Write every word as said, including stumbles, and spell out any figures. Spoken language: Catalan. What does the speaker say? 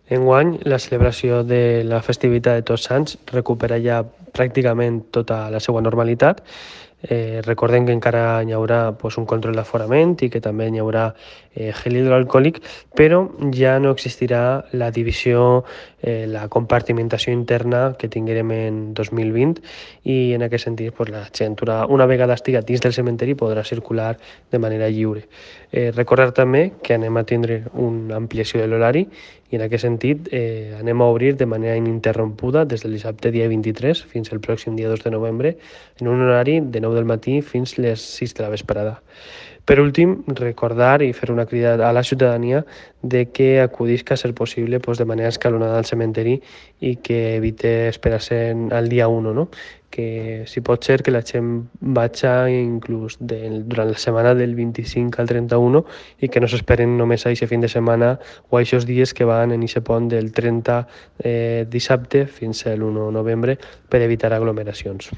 Enguany, la celebració de la festivitat de Tots Sants recupera ja pràcticament tota la seva normalitat. Eh, recordem que encara hi haurà pues, un control d'aforament i que també hi haurà eh, gel hidroalcohòlic, però ja no existirà la divisió, eh, la compartimentació interna que tinguérem en dos mil vint, i en aquest sentit pues, la gent una vegada estiga dins del cementeri podrà circular de manera lliure. Eh, recordar també que anem a tindre una ampliació de l'horari i en aquest sentit eh, anem a obrir de manera ininterrompuda des del dissabte dia vint-i-tres fins al pròxim dia dos de novembre en un horari de nou del matí fins les sis de la vesprada. Per últim, recordar i fer una crida a la ciutadania de que acudisca a ser possible pues, de manera escalonada al cementeri i que evite esperar-se al dia u, no? Que si pot ser que la gent vagi inclús de, durant la setmana del vint-i-cinc al trenta-u i que no s'esperen només a aquest fin de setmana o a aquests dies que van en aquest pont del trenta eh, dissabte fins a l'u de novembre per evitar aglomeracions.